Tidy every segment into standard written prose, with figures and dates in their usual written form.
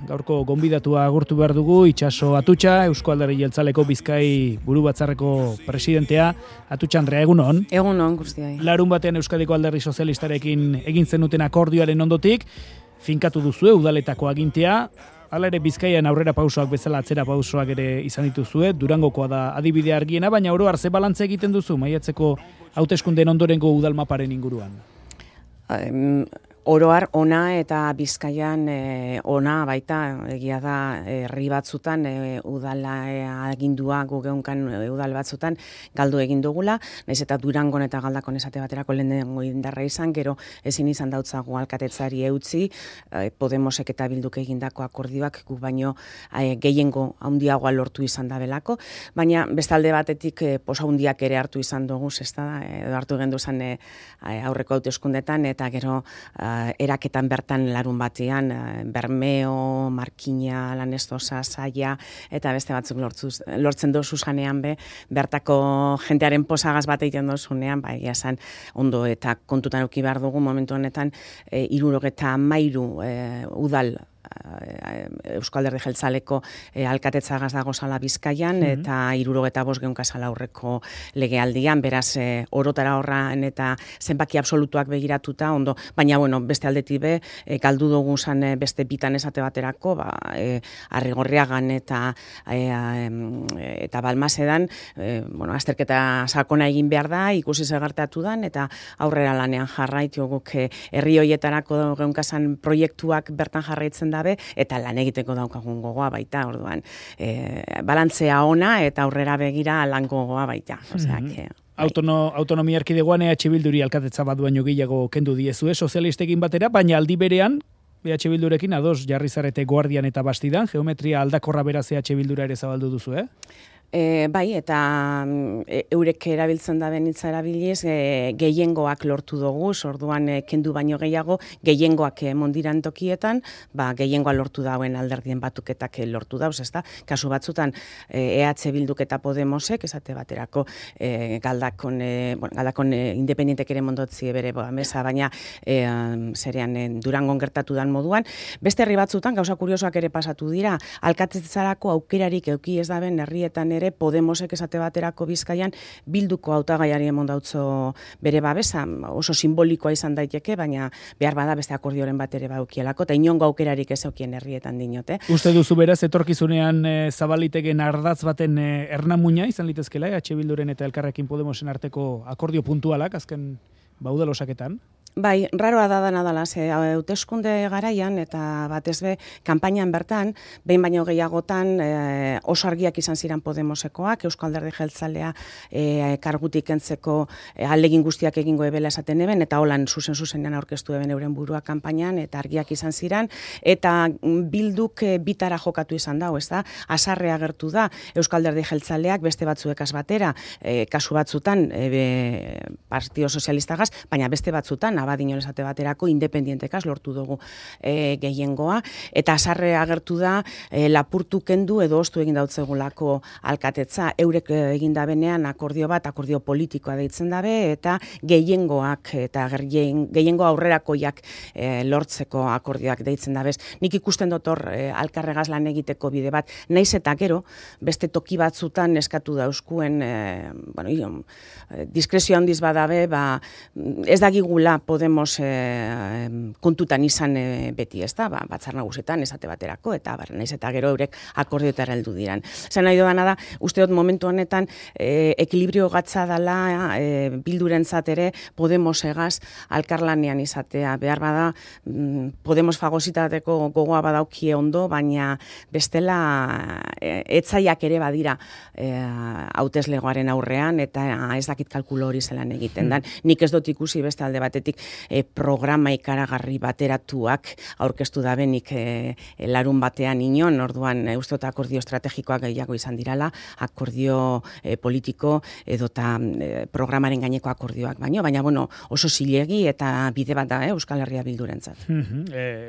gaurko gonbidatua agurtu behar dugu, Itxaso Atutxa, Eusko Alderdi Jeltzaleko Bizkai buru batzarreko presidentea. Atutxa Andrea, egunon? Egunon, guztiai. Larun batean Euskadiko Alderdi Sozialistarekin egin zenuten akordioaren ondotik, finkatu duzue udaletako agintea, hala ere Bizkaian aurrera pausoak bezala atzera pausoak ere izan dituzue, Durangokoa da adibide argiena, baina oro har ze balantze egiten duzu maiatzeko hauteskundeen ondorengo udalmaparen inguruan? Oroar ona eta Bizkaian ona baita, egia da herri batzutan udala agindua gugeunkan udal batzutan galdu egin dugula, naiz eta Durangon eta Galdakon esate baterako lehenengo indarra izan, gero ezin izan dautzagu alkatetzari eutzi, Podemosek eta Bilduk egindako akordioak guk baino gehiengo handiagoa lortu izan da belako, baina bestalde batetik posa handiak ere hartu izan dugu, edo hartu gendu zen aurreko hauteskundetan, eta gero eraketan bertan larun batean, Bermeo, Markina, Lanestosa, Saia, eta beste batzuk lortzen dozu zanean bertako jentearen posagaz bat egiten dozunean, egia esan ondo eta kontutan eduki behar dugu momentu honetan 73 udal Eusko Alderdi Jeltzaleko alkatetzagaz dago zala Bizkaian, eta 75 geunka zala aurreko legealdian, beraz orotara horran eta zenbaki absolutuak begiratuta ondo, baina beste aldetik galdu dugu zan beste bitan esate baterako, Arrigorriagan eta Balmasedan, azterketa sakona egin behar da, ikusi zegertatu dan, eta aurrera lanean jarraitu guk herri hoietarako geunka zan proiektuak bertan jarraitzen dabe, eta lan egiteko daukagun gogoa baita, orduan. Balantzea ona eta aurrera begira lan gogoa baita. Autonomia erkidegoan EH Bilduri alkatetza bat baino gehiago kendu diezue sozialistekin batera, baina aldi berean EH Bildurekin ados jarri zarete Guardian eta Bastidan, geometria aldakorra beraz EH Bildura ere zabaldu duzu, Bai, eta eurek erabiltzen da benitza erabiliz, gehiengoak lortu dugu, orduan kendu baino gehiago, gehiengoak mondiran tokietan, gehiengoa lortu dauen alderdien batuketak lortu dauz, ezta? Kasu batzutan, EH Bilduk eta Podemosek, esate baterako, Galdakon independientek ere mondotzi bere mesa, baina zerean Durangon gertatu dan moduan, beste herri batzutan, gauza kuriosoak ere pasatu dira, alkatetzarako aukerarik euki ez daben herrietan ere Podemosek esate baterako Bizkaian Bilduko hautagaiari emondautzo bere babesa, oso simbolikoa izan daiteke, baina behar bada beste akordioren bat ere baukielako, eta inongo aukerarik ez eukien herrietan dinote. Uste duzu beraz, etorkizunean zabaliteken ardatz baten ernamuina izan litezkela, EH Bilduren eta Elkarrekin Podemosen arteko akordio puntualak, azken udalosaketan? Bai, raroa da dana dela, hauteskunde garaian eta batez kanpainan bertan, behin baino gehiagotan oso argiak izan ziren Podemosekoak, Eusko Alderdi Jeltzalea kargutik kentzeko ahalegin guztiak egingo ebela esaten eben, eta holan zuzenean aurkeztu eben euren burua kanpainan, eta argiak izan ziren, eta Bilduk bitara jokatu izan dago, ez da, azarrea agertu da, Eusko Alderdi Jeltzaleak beste batzuekaz batera, kasu batzutan Partido Sozialistagaz, baina beste batzutan, abadinon esate baterako, independientekaz lortu dugu gehiengoa, eta azarre agertu da lapurtu kendu edo ostu egin dautzegulako alkatetza, eurek egin dabenean akordio politikoa deitzen dabe, eta gehiengoak eta gehiengo aurrerakoiak lortzeko akordioak deitzen dabez. Nik ikusten dut hor alkarregaz lan egiteko bide bat, naiz eta gero, beste toki batzutan eskatu dauzkuen, diskrezio handiz badabe, ez dagigula Podemos kontutan izan beti, ez da, batzar nagusietan esate baterako, eta naiz eta gero eurek akordioetara heldu diran. Zer nahi dudana da, uste dut momentu honetan ekilibrio gatza dela Bildurentzat ere Podemos egaz alkarlanean izatea. Behar bada Podemos fagositateko gogoa badaukie ondo, baina bestela etzaiak ere badira hauteslegoaren aurrean, eta ez dakit kalkulo hori zelan egiten dan. Nik ez dut ikusi beste alde batetik programa ikaragarri bateratuak aurkeztu da benik larun batean inon, orduan uste akordio estrategikoak gehiago izan dirala, akordio politiko edota programaren gaineko akordioak baina oso zilegi eta bide bat da Euskal Herria Bildurentzat.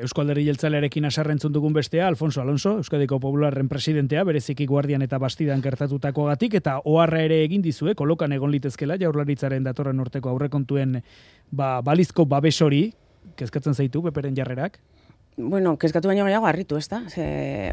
Eusko Alderdi Jeltzalearekin haserrentzun dugun bestea, Alfonso Alonso, Euskadiko Popularren presidentea, bereziki Guardian eta Bastidan gertatutakoagatik, eta oharra ere egin dizue, kolokan egon litezkela Jaurlaritzaren datorren urteko aurrekontuen balizko babes hori, kezkatzen zaitu Peperen jarrerak? Bueno, kezkatu baino gehiago harritu, ez da?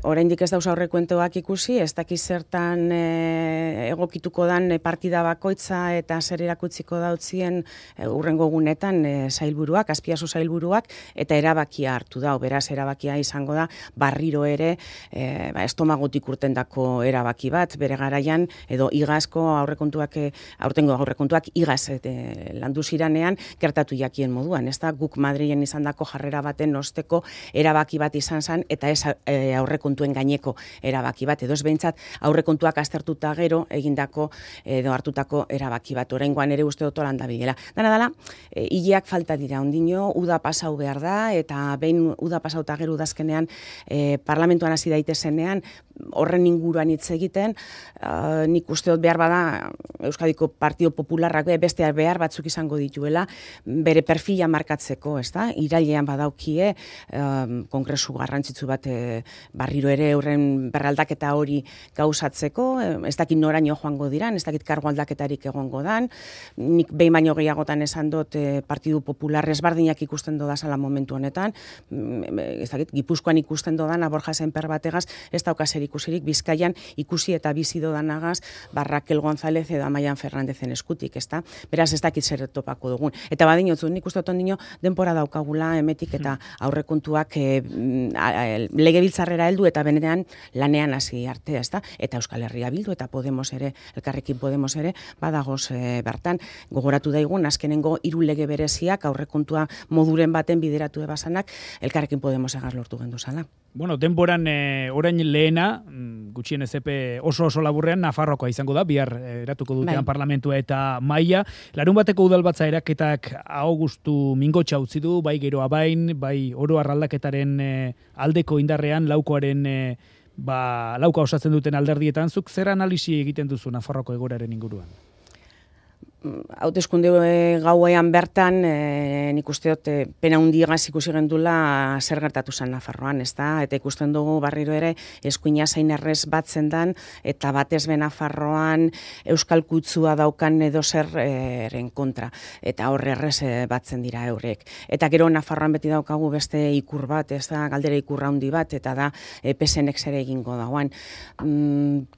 Oraindik ez dauz aurrekontuak ikusi, ez dakiz zertan egokituko dan partida bakoitza eta zer erakutsiko dautzien urrengo gunetan sailburuak, Azpiazu sailburuak, eta erabakia hartu da, beraz erabakia izango da, berriro ere estomagotik urtendako erabaki bat, bere garaian, edo igazko aurtengo aurrekontuak igaz landu ziranean gertatu jakien moduan, ez da? Guk Madrilen izandako jarrera baten osteko erabaki bat izan zen, eta ez aurrekontuen gaineko erabaki bat, edo ez behintzat aurrekontuak aztertuta gero egindako edo hartutako erabaki bat. Oraingoan ere uste dut holan dabilela. Dala, hileak falta dira, ondino, uda pasau behar da, eta behin uda pasauta gero udazkenean parlamentuan hasi daitezenean, horren inguruan hitz egiten, nik uste dut behar bada Euskadiko Partido Popularrak beste behar batzuk izango dituela, bere perfila markatzeko, ez da? Irailean badaukie, kongresu garrantzitsu bat berriro ere horren berraldaketa hori gauzatzeko, ez dakit noraino joango diran, ez dakit kargo aldaketarik egongo dan, nik behin baino gehiagotan esan dut Partidu Popular ezberdinak ikusten dodazala momentu honetan, ez dakit, Gipuzkoan ikusten dodana Borja Sémper bategaz, ez daukazer ikusirik, Bizkaian ikusi eta bizi dodanagaz Raquel González edo Amaian Fernandezen eskutik, ez da? Beraz ez dakit zer topako dugun. Eta badinotzu, nik uste otondino denpora daukagula emetik eta aurrekontuak legebiltzarrera heldu eta benetan lanean hasi arte, ez da? Eta Euskal Herria Bildu eta Podemos ere, Elkarrekin Podemos ere, badagoz bertan, gogoratu daigun, azkenengo 3 lege bereziak aurrekontua moduren baten bideratu ebasanak, Elkarrekin Podemos egar lortu gendu zala. Bueno, denboran orain lehena, gutxien ezepe oso laburrean, Nafarrokoa izango da, bihar eratuko dutean parlamentua eta maila. Larun bateko udalbatza eraketak Augustu Mingotxa utzi du, bai geroa bain, bai oro arraldaketaren aldeko indarrean, laukoaren lauka osatzen duten alderdietan, zuk zer analisi egiten duzu Nafarroko egoraren inguruan? Hauteskunde gauean bertan, nik uste dut pena hundiagaz ikusi gendula zer gertatu zen Nafarroan, ez da? Eta ikusten dugu barriro ere eskuina zain errez batzen dan, eta batez be Nafarroan euskal kutsua daukan edo zerren kontra, eta horre errez batzen dira eurek. Eta gero Nafarroan beti daukagu beste ikur bat, ez da? Galdera ikurra hundi bat, eta da PSNek zer egingo dagoan.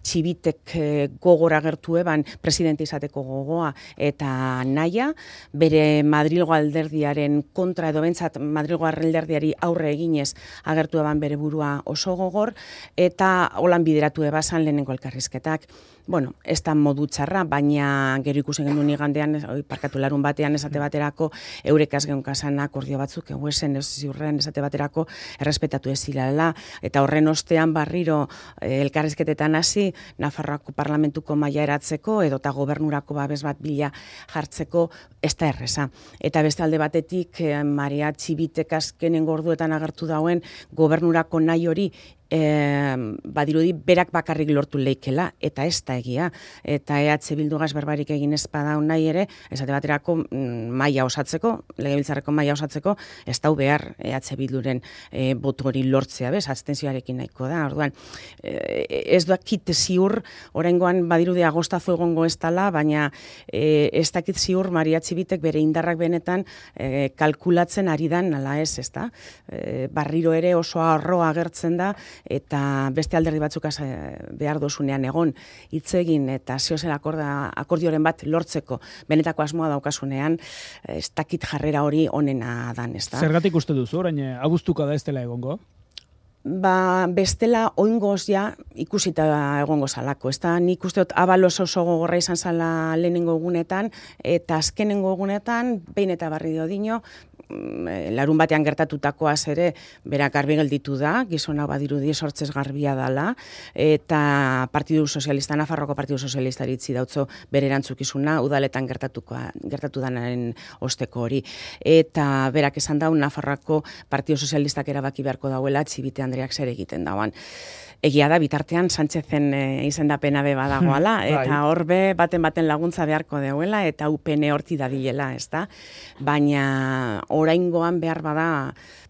Txibitek gogora gertu eban presidente izateko gogoa, eta naia, bere Madrilgo alderdiaren kontra edo bentsat Madrilgo alderdiari aurre eginez agertu eban bere burua oso gogor, eta holan bideratu ebasan lehenengo elkarrizketak. Bueno, ez da modu txarra, baina gero ikusen genuen igandean, parkatu larun batean esate baterako, eurekaz geunkasan akordio batzuk, eguesen ez ziurren esate baterako errespetatu ez zilala, eta horren ostean barriro elkarrizketetan hasi, Nafarroako parlamentuko maila eratzeko, edota gobernurako babes bat bila jartzeko, ez da erreza. Eta beste alde batetik, Maria Txibitek azkenen gorduetan agertu dauen, gobernurako nahi hori, badirudi berak bakarrik lortu leikela, eta ez da egia, eta EH Bildugaz berbarik egin ez badaun nahi ere, esate baterako maila osatzeko, legebiltzarreko maila osatzeko, ez dau behar EH Bilduren botu hori lortzea, bez, abstentzioarekin nahiko da, orduan, ez dakit ziur, oraingoan badirudi agostazo egongo ez dala, baina ez dakit ziur Maria Txibitek bere indarrak benetan kalkulatzen ari dan, ala ez da, barriro ere oso arroa agertzen da, eta beste alderdi batzuk behar dozunean egon hitz egin eta zeozen akordioren bat lortzeko benetako asmoa daukasunean, ez dakit jarrera hori onena dan, ez da. Zergatik uste duzu, orain abuztuka da ez dela egongo? Bestela oingoz ja ikusita egongo zalako. Ez da, nik uste dut Abalos oso gogorra izan zala lehenengo egunetan, eta azkenengo egunetan, behin eta barri dino, larun batean gertatutakoaz ere berak garbi gelditu da, gizona badirudi sortzez garbia dala, eta Partidu Sozialista, Nafarroko Partidu Sozialista itzi dautzo bere erantzukizuna, udaletan gertatu danaren osteko hori. Eta berak esan dau, Nafarroko Partidu Sozialistak erabaki beharko dauela, Txibite Andreak zer egiten dauan. Egia da, bitartean Sánchezen izendapena be badagoala, eta horbe baten laguntza beharko deuela, eta UPN horti dabilela, ez da? Baina oraingoan behar bada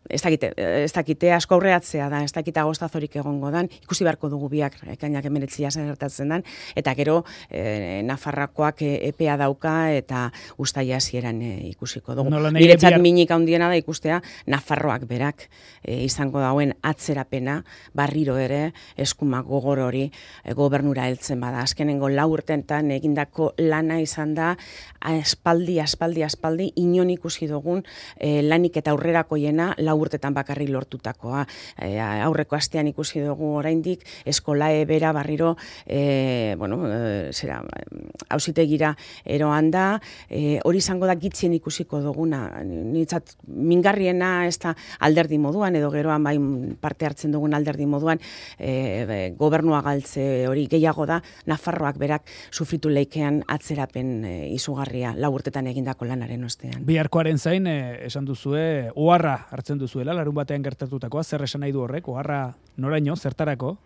ez dakite asko aurreatzea da, ez dakite agostazorik egongo dan, ikusi beharko dugu biak ekainak 19 zer gertatzen dan, eta gero Nafarroakoak epea dauka eta uztaila hasieran ikusiko dugu. Niretzat minik handiena da ikustea Nafarroak berak izango dauen atzerapena, barriro ere eskuma gogor hori gobernura heltzen bada. Azkenengo 4 urteetan egindako lana izan da aspaldi inon ikusi dugun lanik eta aurrerakoiena 4 urtetan bakarrik lortutakoa. Aurreko astean ikusi dugu oraindik eskolae bera barriro auzitegira eroan da, hori izango da gitzien ikusiko duguna. Nitzat mingarriena ez da alderdi moduan, edo geroan bai parte hartzen dugun alderdi moduan, gobernua galtze hori gehiago da, Nafarroak berak sufritu leikean atzerapen izugarria 4 urtetan egindako lanaren ostean. Biharkoaren zain, esan duzue, oharra hartzen duzuela, larun batean gertatutakoa, zer esan nahi du horrek, oharra noraino, zertarako?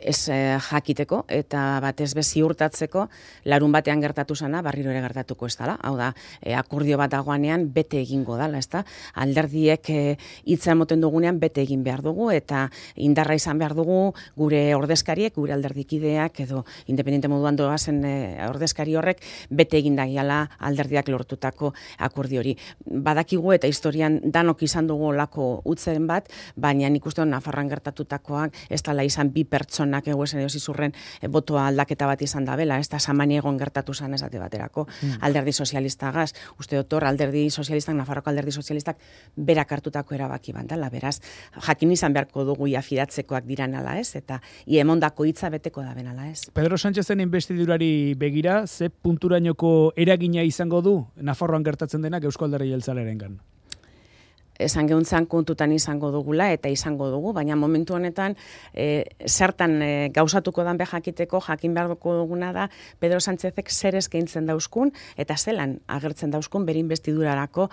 Ez jakiteko eta batez be ziurtatzeko larun batean gertatu sana barriro ere gertatuko ez dela. Hau da, akordio bat dagoanean bete egingo dela, ezta? Alderdiek hitza emoten dugunean bete egin behar dugu eta indarra izan behar dugu gure ordezkariek, gure alderdikideak edo independente moduan doazen ordezkari horrek bete egin dagiala alderdiak lortutako akordio hori. Badakigu eta historian danok izan dugu olako utzen bat, baina nik uste Nafarroan gertatutakoak ez dela izan bi pertsonak egoezen edo zizurren botoa aldaketa bat izan da bela, ez da Samaniegon gertatu zan esate baterako, alderdi sozialistagaz, uste dotor alderdi sozialistak, Nafarroko alderdi sozialistak berak hartutako erabaki bandala, beraz, jakin izan beharko dugu iafidatzekoak diran ala ez, eta emondako hitza beteko da benala ez. Pedro Sánchezen investidurari begira, ze punturainoko eragina izango du Nafarroan gertatzen denak Eusko Alderdi Jeltzalearengan? Esan gehuntzan kontutan izango dugula eta izango dugu, baina momentu honetan zertan gauzatuko dan jakiteko jakin behar duguna da Pedro Sánchezek zer eskaintzen dauzkun eta zelan agertzen dauzkun bere investidurarako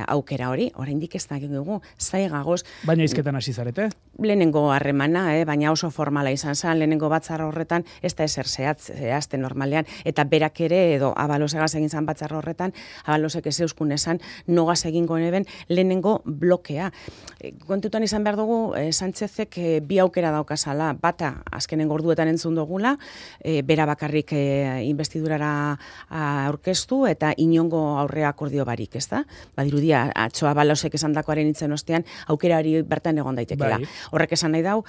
aukera hori. Oraindik ez da dugu, zaigagoz. Baina hizketan hasi zarete? Lehenengo harremana, baina oso formala izan zen, lehenengo batzar horretan ez da ezer zehazten normalean, eta berak ere edo Abalosegaz egin zan batzar horretan, Abalosek ez euskun esan nogaz egingo neben lehenengo blokea. Kontutan izan behar dugu, Sánchezek bi aukera daukazala, bata azkenengo orduetan entzun dugula, bera bakarrik investidurara aurkeztu eta inongo aurre akordio barik, ez da? Badirudia, atzo Abalosek esan dakoaren itzen ostean, aukera hori bertan egon daitekela. Bai. Horrek esan nahi dau,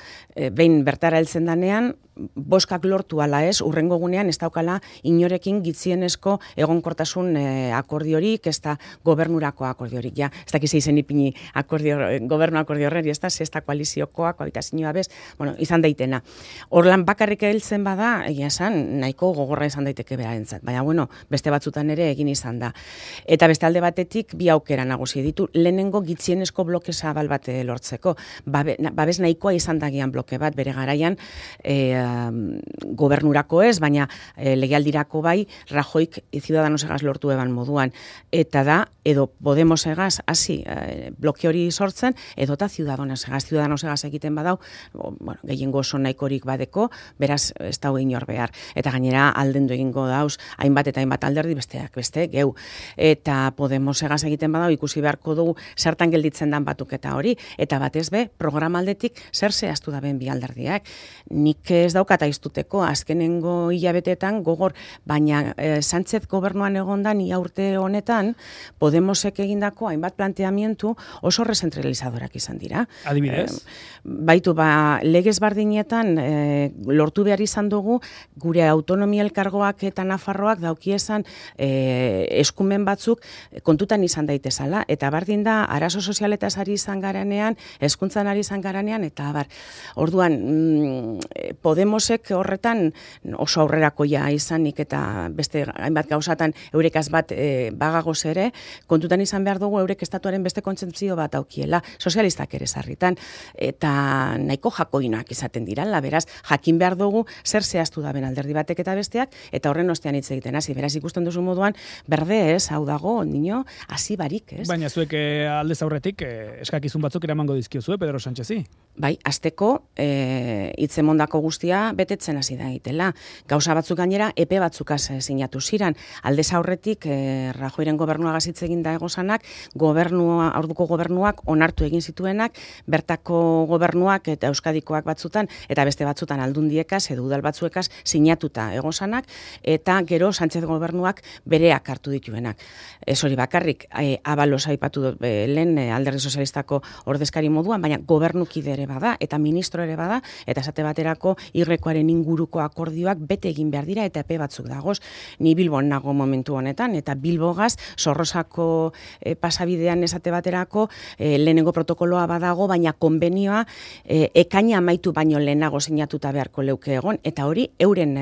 behin bertara heltzen danean, boskak lortu ala ez, urrengo gunean ez daukala inorekin gitzienezko egonkortasun akordiorik, ez da gobernurako akordiorik, ja. Ez dakiz izen ipini gobernu akordio horreri, ez da, zesta koaliziokoa, koabitazioa bez, izan daitena. Horlan bakarrik heltzen bada, egia esan, nahiko gogorra izan daiteke berarentzat, baina beste batzutan ere egin izan da. Eta beste alde batetik, bi aukera nagusi ditu, lehenengo gitzienezko bloke zabal bat lortzeko. Babes nahikoa izan dagian bloke bat, bere garaian, gobernurako ez, baina legealdirako bai, Rajoik Ciudadanosegaz lortu eban moduan. Eta da, edo Podemosegaz hasi bloke hori sortzen, edota Ciudadanosegaz egiten badau, gehiengo oso nahikorik badeko, beraz ez dago inor behar. Eta gainera aldendu egingo dauz, hainbat eta hainbat alderdi besteak beste, geu. Eta Podemosegaz egiten badau, ikusi beharko dugu zertan gelditzen dan batuketa hori, eta batez be, programaldetik zer zehaztu da ben bi alderdiak. Nik ez daukat aiztuteko, azkenengo hilabetetan gogor, baina Sánchez gobernuan egondan ia urte honetan, Podemosek egindako hainbat planteamientu oso rezentralizadorak izan dira. Adibidez? Baitu, legez bardinetan lortu behar izan dugu, gure autonomia elkargoak eta Nafarroak daukiesan eskumen batzuk kontutan izan daitezala, eta bardin da, arazo sozialetaz ari izan garanean, hezkuntzan ari izan garanean, eta orduan, Podemosek horretan oso aurrerakoia izanik eta beste hainbat gauzatan eurekaz bat bagagoz ere, kontutan izan behar dugu eurek estatuaren beste kontzentzio bat aukiela, sozialistak ere sarritan, eta nahiko jakoinoak izaten dirala, beraz, jakin behar dugu zer zehaztu da ben alderdi batek eta besteak, eta horren ostean hitz egiten hasi, beraz ikusten duzu moduan, berde ez, hau dago, nino, hasi barik, ez? Baina zuek aldez aurretik eskakizun batzuk eramango dizkiozue, Pedro Sánchezi? Bai, azteko, hitzemondako guztia da betetzen hasi da egitela. Gauza batzuk gainera epe batzukaz sinatu ziran. Aldez aurretik Rajoyren gobernuagaz hitz egin da egosanak, orduko gobernuak onartu egin zituenak, bertako gobernuak eta Euskadikoak batzutan eta beste batzutan aldundiekaz edo udal batzuekaz sinatuta egosanak, eta gero Sánchez gobernuak bereak hartu dituenak. Ez hori bakarrik, Abalos aipatu dut lehen Alderdi Sozialistako ordezkari moduan, baina gobernukide ere bada eta ministro ere bada, eta esate baterako Irrekoaren inguruko akordioak bete egin behar dira eta epe batzuk dagoz. Ni Bilbon nago momentu honetan, eta Bilbogaz Zorrozako pasabidean esate baterako lehenengo protokoloa badago, baina konbenioa ekaina amaitu baino lehenago sinatuta beharko leuke egon, eta hori euren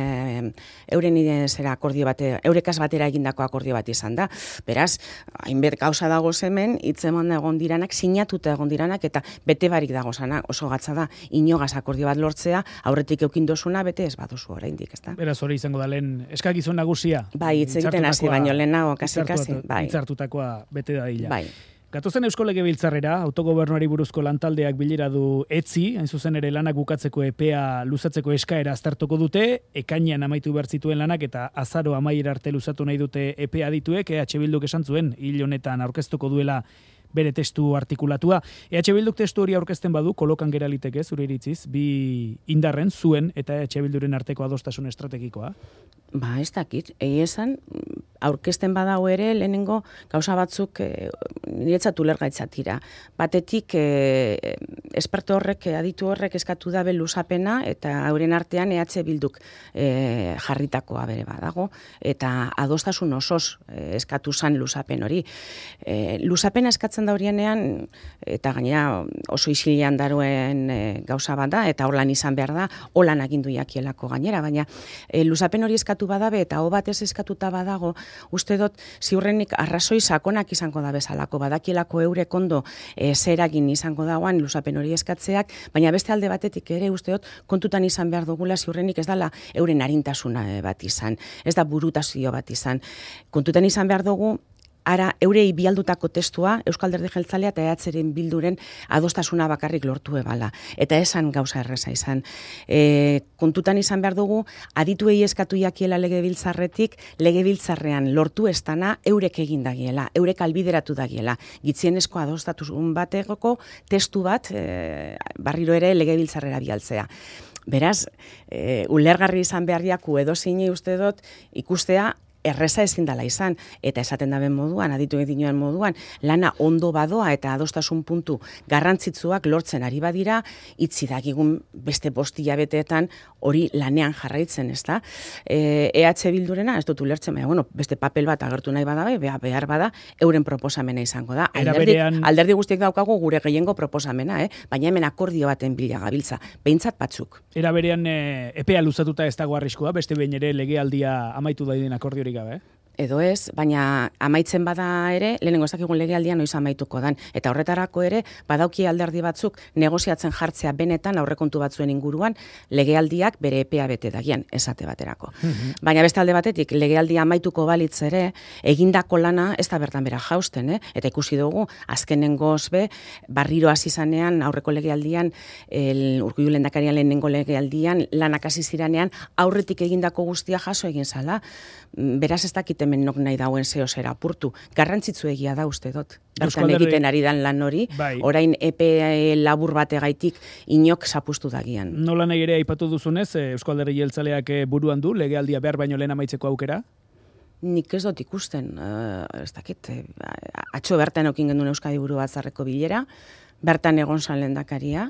akordio bate, eurekaz batera egindako akordio bat izan da. Beraz, hainbet gauza dago hemen, hitzeman egon diranak, sinatuta egon diranak, eta bete barik dago zanak, oso gatza da, inogaz akordio bat lortzea, aurretik eukin dozuna, bete ez baduzu oraindik, ezta? Beraz, hori izango da lehen eskakizun nagusia. Bai, hitz egiten hasi baino lehenago, kasi. Bai. Hitzartutakoa bete da dila. Bai. Gatozen Eusko Legebiltzarrera, autogobernuari buruzko lantaldeak bilera du etzi, hain zuzen ere lanak bukatzeko epea luzatzeko eskaera aztertuko dute, ekainean amaitu behar zituen lanak eta azaro amaiera arte luzatu nahi dute epea dituek, EH Bilduk esan zuen, hil honetan aurkeztuko duela bere testu artikulatua. EH Bilduk testu hori aurkezten badu, kolokan gera liteke, zure iritziz, bi indarren, zuen eta EH Bilduren arteko adostasun estrategikoa? Ba, ez dakit, esan, aurkezten badago ere, lehenengo gauza batzuk niretzat ulergaitzatira. Batetik, esperto horrek, aditu horrek eskatu da luzapena, eta euren artean EH Bilduk jarritakoa bere badago, eta adostasun osoz eskatu zan luzapen hori. Luzapena eskatzen da horienean, eta gainera oso isilean daruen gauza bat da, eta horlan izan behar da, holan agindu jakielako gainera, baina luzapen hori eskatu badabe eta hau batez eskatuta badago, uste dut ziurrenik arrazoi sakonak izango da bezalako, badakielako eurek ondo zeragin izango dagoan luzapen hori eskatzeak, baina beste alde batetik ere uste dut kontutan izan behar dugula ziurrenik ez dala euren arintasuna bat izan, ez da burutazio bat izan. Kontutan izan behar dugu ara eurei bialdutako testua Euskal Alderdi Jeltzalea eta EH Bilduren adostasuna bakarrik lortu ebala. Eta esan gauza erreza izan. Kontutan izan behar dugu, adituei eskatu jakiela legebiltzarretik, legebiltzarrean lortu estana eurek egin dagiela, eurek albideratu dagiela. Gitzienezko adostasun bategoko testu bat barriro ere legebiltzarrera bialtzea. Beraz, ulergarri izan beharriaku edo zinei uste dut ikustea erreza ezin dela izan, eta esaten daben moduan, aditu edinoen moduan, lana ondo badoa eta adostasun puntu garrantzitsuak lortzen ari badira, itzi dakigun beste 5 hilabeteetan hori lanean jarraitzen, ez da? EH Bildurena, ez dut ulertzen, baina, beste papel bat agertu nahi badabe, behar bada, euren proposamena izango da. Alderdi guztiek daukagu gure gehiengo proposamena, baina hemen akordio baten bila gabiltza, behintzat batzuk. Era berean epea luzatuta ez dago arriskua, beste behin ere legealdia amaitu daiden akordiori gabe? Edo ez, baina amaitzen bada ere, lehenengo ez dakigun legealdian noiz amaituko dan. Eta horretarako ere, badauki alderdi batzuk negoziatzen jartzea benetan aurrekontu batzuen inguruan, legealdiak bere epea bete dagian, esate baterako. Baina beste alde batetik, legealdia amaituko balitz ere, egindako lana ez da bertan bera jausten, eta ikusi dugu, azkenengoz be, barriro hasi zanean, aurreko legealdian, Urkullu lehendakarian lehenengo legealdian, lanak hasi ziranean, aurretik egindako guztia jaso egin zala. Beraz ez dakit hemen nok nahi dauen zeo zera apurtu. Garrantzitsu egia da uste dut. Bertan egiten ari dan lan hori, orain epe labur bategaitik inok zapustu dagian. Nola nahi ere aipatu duzunez, Eusko Alderdi Jeltzaleak buruan du, legealdia behar baino lehen amaitzeko aukera? Nik ez dut ikusten, ez dakit, atxo bertan eukin gendun Euskadi Buru Batzarreko bilera, bertan egon zan lehendakaria,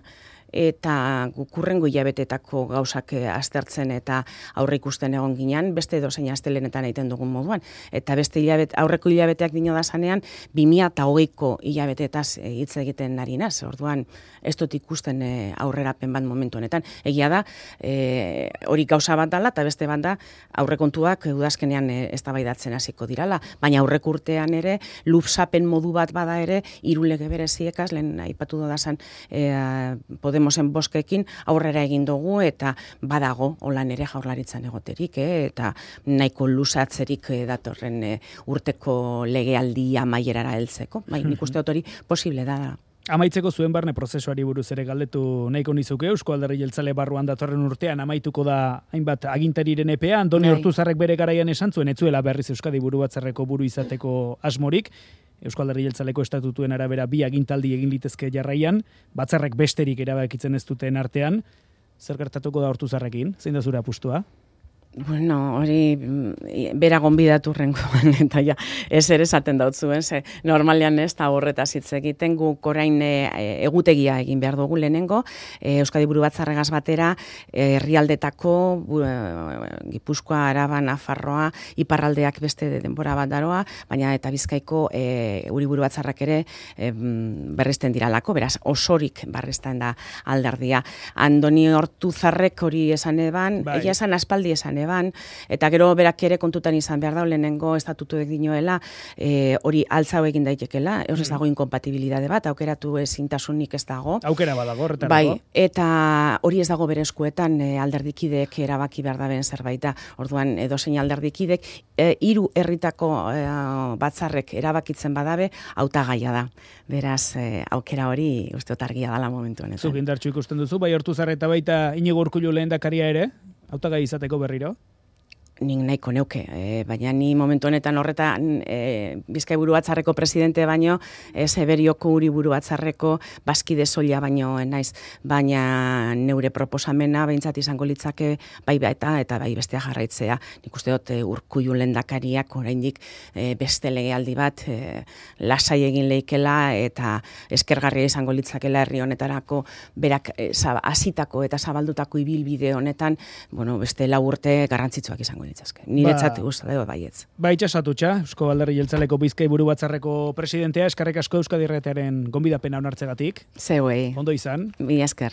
eta kurrengo hilabetetako gauzak aztertzen eta aurre ikusten egon ginean, beste dozein astelenetan egiten dugun moduan. Eta beste aurreko hilabeteak dino da zanean, 2020ko hilabetetaz hitz egiten ari naz. Orduan, ez dut ikusten aurrerapen bat momentu honetan. Egia da, hori gauza bat dala, eta beste bat da, aurrekontuak udazkenean eztabaidatzen hasiko dirala. Baina aurreko urtean ere, lupsapen modu bat bada ere, 3 lege bereziekaz, lehen aipatu dodazan Podemosen boskekin aurrera egin dugu eta badago holan ere Jaurlaritzan egoterik, eta nahiko luzatzerik datorren urteko legealdia amaierara heltzeko. Bai, nik uste dut hori posible da. Amaitzeko zuen barne prozesuari buruz ere galdetu nahiko nizuke, Eusko Alderdi Jeltzale barruan datorren urtean amaituko da hainbat agintariren epea, Andoni Ortuzarrek bere garaian esan zuen, etzuela berriz Euskadi Burubatzarreko buru izateko asmorik, Eusko Alderdi Jeltzaleko estatutuen arabera 2 agintaldi egin litezke jarraian, batzarrek besterik erabakitzen ez duten artean, zer gertatuko da Ortuzarrekin? Zein da zure apustua? Bueno, hori bera gonbidatu rengoan, eta ja, ez ere esaten dautzuen, ze normalean ez da horretaz hitz egiten, guk orain egutegia egin behar dugu lehenengo, Euskadi Burubatzarregaz batera, herrialdetako, Gipuzkoa, Araba, Nafarroa, iparraldeak beste denbora bat daroa, baina eta Bizkaiko Uri Burubatzarrak ere berresten diralako, beraz, osorik berresten da alderdia. Andoni Ortuzarrek hori esan eban, egia esan aspaldi esan eta gero berak ere kontutan izan behar da, lehenengo estatutuek dinoela, hori altzau egin daitekela, hor ez dago inkompatibilidade bat, aukeratu ezintasunik ez dago. Aukera badago, horretarako. Bai, eta hori ez dago bere eskuetan alderdikideek erabaki behar da ben zerbait da. Orduan, edozein alderdikidek, 3 herritako batzarrek erabakitzen badabe, hautagaia da. Beraz, aukera hori uste argia dala momentu honetan. Zuk indartsu ikusten duzu, bai Ortuzar eta baita Iñigo Urkullu lehendakaria ere, hautagai izateko berriro? Nik nahiko neuke, baina ni momentu honetan horretan Bizkai Burubatzarreko presidente baino, Eberioko Uri Burubatzarreko bazkide soila baino naiz, baina neure proposamena behintzat izango litzake bai eta bai bestea jarraitzea. Nik uste dut Urkullu lehendakariak oraindik beste legealdi bat lasai egin leikela eta eskergarria izango litzakela herri honetarako berak hasitako eta zabaldutako ibilbide honetan, bueno, beste 4 urte garrantzitsuak izango litzazke. Niretzat gusta da baietz. Ba itxasatutxa, Eusko Alderdi Jeltzaleko Bizkai Burubatzarreko presidentea, eskerrik asko Euskadi Irratiaren gonbidapena onartzegatik. Zeuei. Ondo izan. Mila esker.